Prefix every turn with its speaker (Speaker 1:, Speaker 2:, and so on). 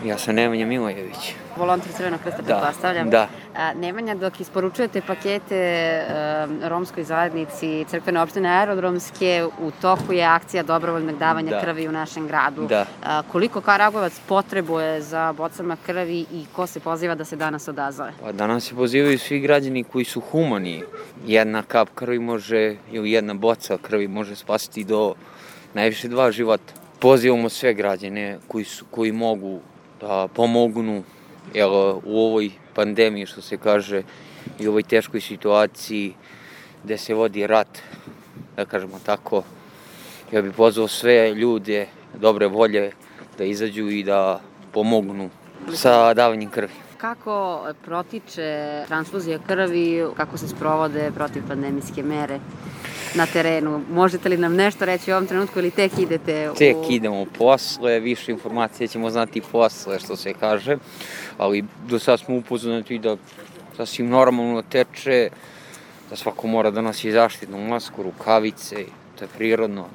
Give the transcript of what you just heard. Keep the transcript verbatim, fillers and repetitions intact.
Speaker 1: Ja sam Nemanja Milojević.
Speaker 2: Volonter Crvenog krsta,
Speaker 1: Da,
Speaker 2: pretpostavljam.
Speaker 1: da.
Speaker 2: A, Nemanja, dok isporučujete pakete e, romskoj zajednici crkvene opštine aerodromske, u toku je akcija dobrovoljnog davanja
Speaker 1: Da.
Speaker 2: krvi u našem gradu.
Speaker 1: Da.
Speaker 2: A, koliko Karagovac potrebuje za bocama krvi i ko se poziva da se danas odazove?
Speaker 1: Pa danas se pozivaju svi građani koji su humani. Jedna kap krvi može, ili jedna boca krvi može spasiti do najviše dva života. Pozivamo sve građane koji, su, koji mogu da pomognu, jer u ovoj pandemiji, što se kaže, i u ovoj teškoj situaciji gde se vodi rat, da kažemo tako, ja bih pozvao sve ljude dobre volje da izađu i da pomognu sa davanjem krvi.
Speaker 2: Kako protiče transfuzija krvi, kako se sprovode protivpandemijske mere na terenu? Možete li nam nešto reći u ovom trenutku ili tek idete u...
Speaker 1: Tek idemo posle, više informacije ćemo znati posle, što se kaže, ali do sad smo upoznati da sasvim normalno teče, da svako mora da nosi zaštitnu masku, rukavice, to je prirodno.